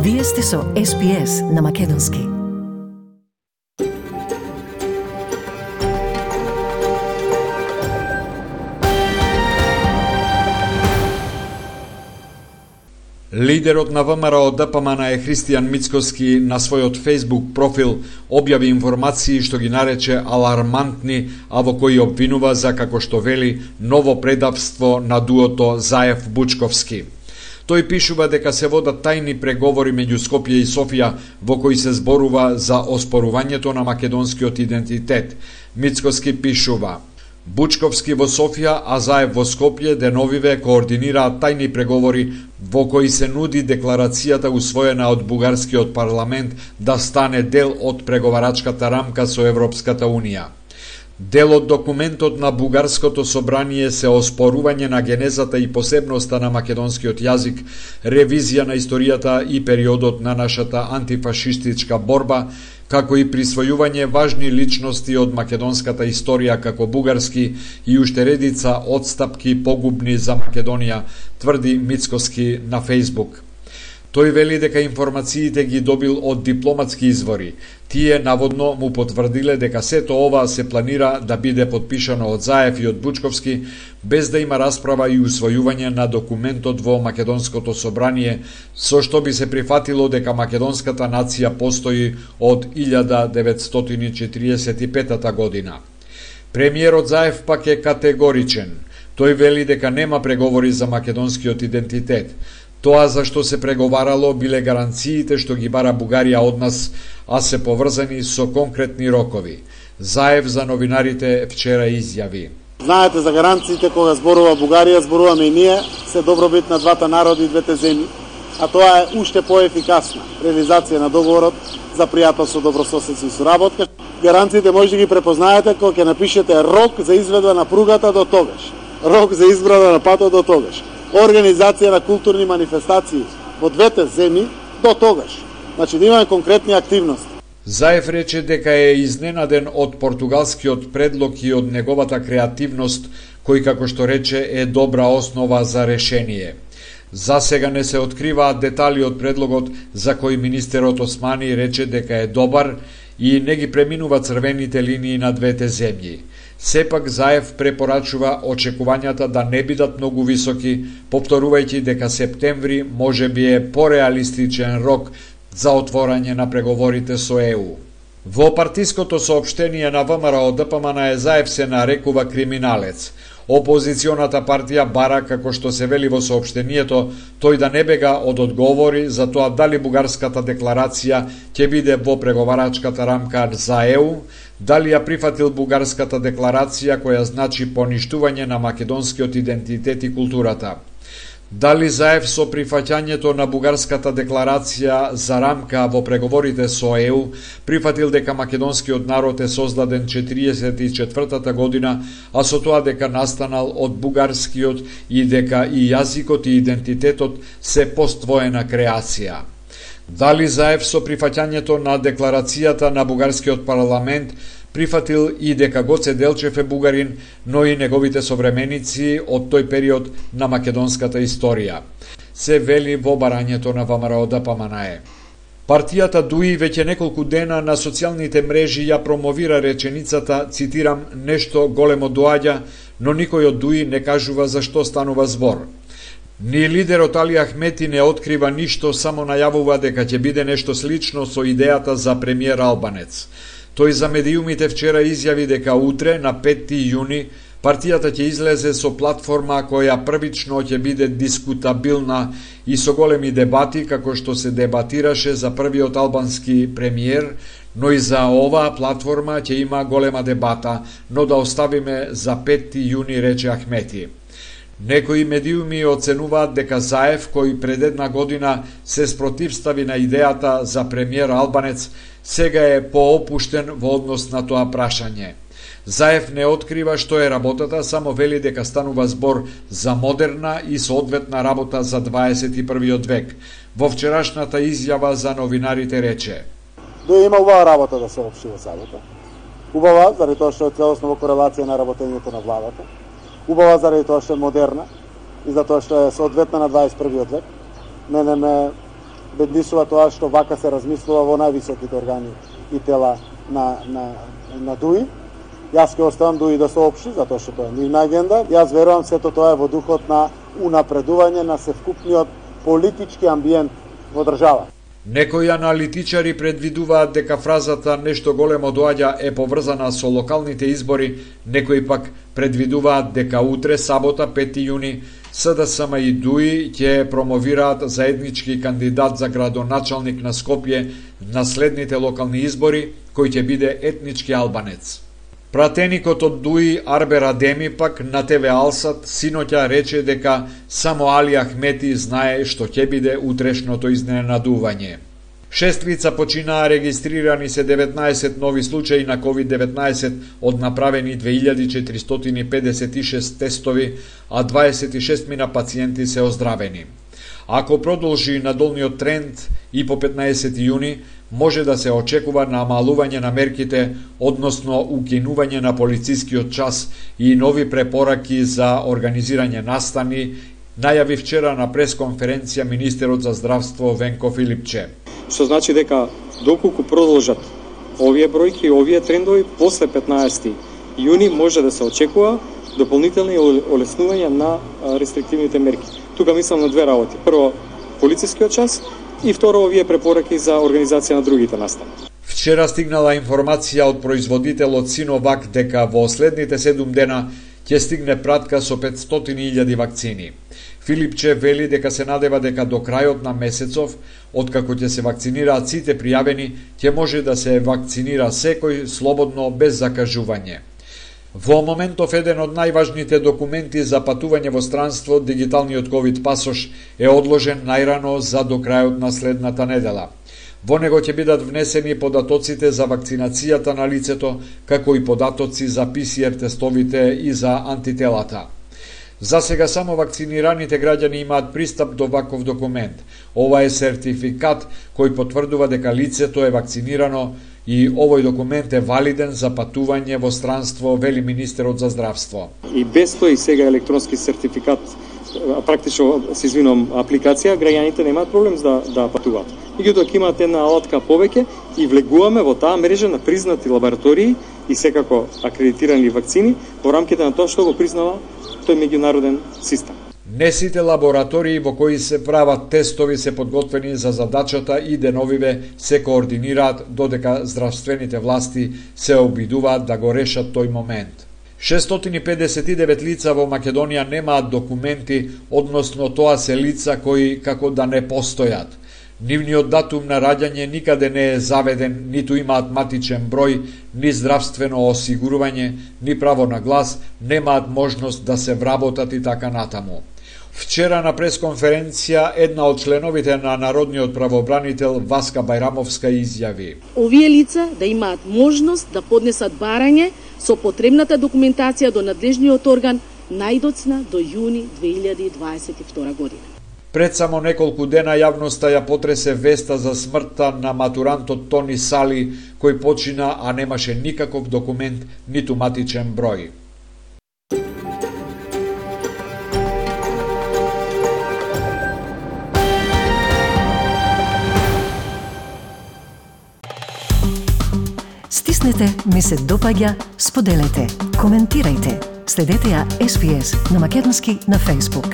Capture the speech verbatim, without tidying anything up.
Вие сте со Ес Би Ес на Македонски. Лидерот на ВМРО Д П М Н е Христијан Мицкоски на својот Facebook профил објави информации што ги нарече алармантни, а во кои обвинува за, како што вели, ново предавство на дуото Заев-Бучковски. Тој пишува дека се водат тајни преговори меѓу Скопје и Софија во кои се зборува за оспорувањето на македонскиот идентитет. Мицкоски пишува: Бучковски во Софија, а Заев во Скопје деновиве координираат тајни преговори во кои се нуди декларацијата усвоена од бугарскиот парламент да стане дел од преговарачката рамка со Европската Унија. Дел од документот на Бугарското собрание се оспорување на генезата и посебноста на македонскиот јазик, ревизија на историјата и периодот на нашата антифашистичка борба, како и присвојување важни личности од македонската историја како бугарски и уште редица одстапки погубни за Македонија, тврди Мицкоски на Facebook. Тој вели дека информациите ги добил од дипломатски извори. Тие наводно му потврдиле дека сето ова се планира да биде подпишано од Заев и од Бучковски, без да има расправа и усвојување на документот во Македонското собрание, со што би се прифатило дека македонската нација постои од илјада деветстотини и четиридесет и петата година. Премиерот Заев пак е категоричен. Тој вели дека нема преговори за македонскиот идентитет. Тоа за што се преговарало биле гаранциите што ги бара Бугарија од нас, а се поврзани со конкретни рокови. Заев за новинарите вчера изјави: Знаете за гаранциите кога зборува Бугарија, зборуваме и ние, се добробит на двата народи и двете земји, а тоа е уште поефикасна реализација на договорот за пријателство, добрососедство и соработка. Гаранциите може да ги препознаете кога ќе напишете рок за изведба на пругата до тогаш, рок за избрана на патот до тогаш, организација на културни манифестации во двете земји до тогаш. Значи да имаме конкретни активности. Заев рече дека е изненаден од португалскиот предлог и од неговата креативност, кој, како што рече, е добра основа за решение. За сега не се откриваат детали од предлогот за кој министерот Османи рече дека е добар и не ги преминува црвените линии на двете земји. Сепак Заев препорачува очекувањата да не бидат многу високи, повторувајќи дека септември може би е пореалистичен рок за отворање на преговорите со Е У. Во партиското соопштение на ВМРО Д П М Н е Заев се нарекува криминалец. Опозиционата партија бара, како што се вели во соопштението, тој да не бега од одговори за тоа дали бугарската декларација ќе биде во преговарачката рамка за Е У, дали ја прифатил бугарската декларација која значи поништување на македонскиот идентитет и културата. Дали Заев со прифаќањето на бугарската декларација за рамка во преговорите со Е У прифатил дека македонскиот народ е создаден четириесет и четвртата година, а со тоа дека настанал од бугарскиот и дека и јазикот и идентитетот се поствоена креација. Дали Заев со прифаќањето на декларацијата на бугарскиот парламент прифатил и дека Гоце Делчев е бугарин, но и неговите современици од тој период на македонската историја, се вели во барањето на ВМРО Д П М Н е. Партијата Д У И веќе неколку дена на социјалните мрежи ја промовира реченицата, цитирам, нешто големо доаѓа, но никој од Д У И не кажува за што станува збор. Ни лидерот Али Ахмети не открива ништо, само најавува дека ќе биде нешто слично со идејата за премиер Албанец. Тој за медиумите вчера изјави дека утре, на петти јуни, партијата ќе излезе со платформа која првично ќе биде дискутабилна и со големи дебати, како што се дебатираше за првиот албански премиер, но и за оваа платформа ќе има голема дебата, но да оставиме за петти јуни, рече Ахмети. Некои медиуми оценуваат дека Заев, кој пред една година се спротивстави на идејата за премиер Албанец, сега е поопуштен во однос на тоа прашање. Заев не открива што е работата, само вели дека станува збор за модерна и соодветна работа за дваесет и првиот век. Во вчерашната изјава за новинарите рече: Да има убава работа да се општи во Сабота. Убава, заради тоа што е целосно во корелација на работењето на владата. Убава заради тоа што е модерна и за тоа што е соодветна на дваесет и првиот век. Мене ме беднисува тоа што вака се размислува во највисоките органи и тела на, на, на ДУИ. Јас ќе оставам ДУИ да соопшти, затоа што тоа е нивна агенда. Јас верувам сето тоа е во духот на унапредување на севкупниот политички амбиент во држава. Некои аналитичари предвидуваат дека фразата «нешто големо доаѓа» е поврзана со локалните избори, некои пак предвидуваат дека утре, сабота, пети јуни, СДСМ и ДУИ ќе промовираат заеднички кандидат за градоначалник на Скопје на следните локални избори, кој ќе биде етнички албанец. Пратеникот од ДУИ Арбер Адеми пак на ТВ Алсат синоќа рече дека само Али Ахмети знае што ќе биде утрешното изненадување. Шест лица починаа, регистрирани се деветнаесет нови случаи на ковид деветнаесет од направени две илјади четиристотини педесет и шест тестови, а дваесет и шест мина пациенти се оздравени. Ако продолжи надолниот тренд и по петнаесети јуни, може да се очекува намалување на мерките, односно укинување на полицискиот час и нови препораки за организирање настани, најави вчера на пресконференција министерот за здравство Венко Филипче. Што значи дека доколку продолжат овие бројки и овие трендови, после петнаесети јуни може да се очекува дополнителни олеснување на рестриктивните мерки. Тука мислам на две работи. Прво, полицискиот час и второ, овие препораки за организација на другите настани. Вчера стигнала информација од производителот Синовак дека во следните седум дена ќе стигне пратка со петстотини илјади вакцини. Филипче вели дека се надева дека до крајот на месецов, откако ќе се вакцинираат сите пријавени, ќе може да се вакцинира секој слободно без закажување. Во моментов еден од најважните документи за патување во странство, дигиталниот ковид пасош, е одложен најрано за до крајот на следната недела. Во него ќе бидат внесени податоците за вакцинацијата на лицето, како и податоци за Пи Си Ар тестовите и за антителата. За сега само вакцинираните граѓани имаат пристап до ваков документ. Ова е сертификат кој потврдува дека лицето е вакцинирано и овој документ е валиден за патување во странство, вели министерот за здравство. И без тој сега електронски сертификат, практично, се извинувам, апликација, граѓаните немаат проблем да, да патуваат. Меѓутоа ќе имаат една алатка повеќе и влегуваме во таа мрежа на признати лаборатории и секако акредитирани вакцини во рамките на тоа што го признава тој меѓународен систем. Не сите лаборатории во кои се прават тестови се подготвени за задачата и деновиве се координираат додека здравствените власти се обидуваат да го решат тој момент. шестстотини педесет и девет лица во Македонија немаат документи, односно тоа се лица кои како да не постојат. Нивниот датум на раѓање никаде не е заведен, ниту имаат матичен број, ни здравствено осигурување, ни право на глас, немаат можност да се вработат и така натаму. Вчера на пресконференција една од членовите на Народниот правобранител Васка Бајрамовска изјави: овие лица да имаат можност да поднесат барање со потребната документација до надлежниот орган најдоцна до јуни две илјади дваесет и втора година. Пред само неколку дена јавноста ја потресе веста за смртта на матурантот Тони Сали, кој почина, а немаше никаков документ, ниту матичен број. Стиснете, ми се допаѓа, споделете, коментирајте. Следете ја Ес Би Ес на македонски на Facebook.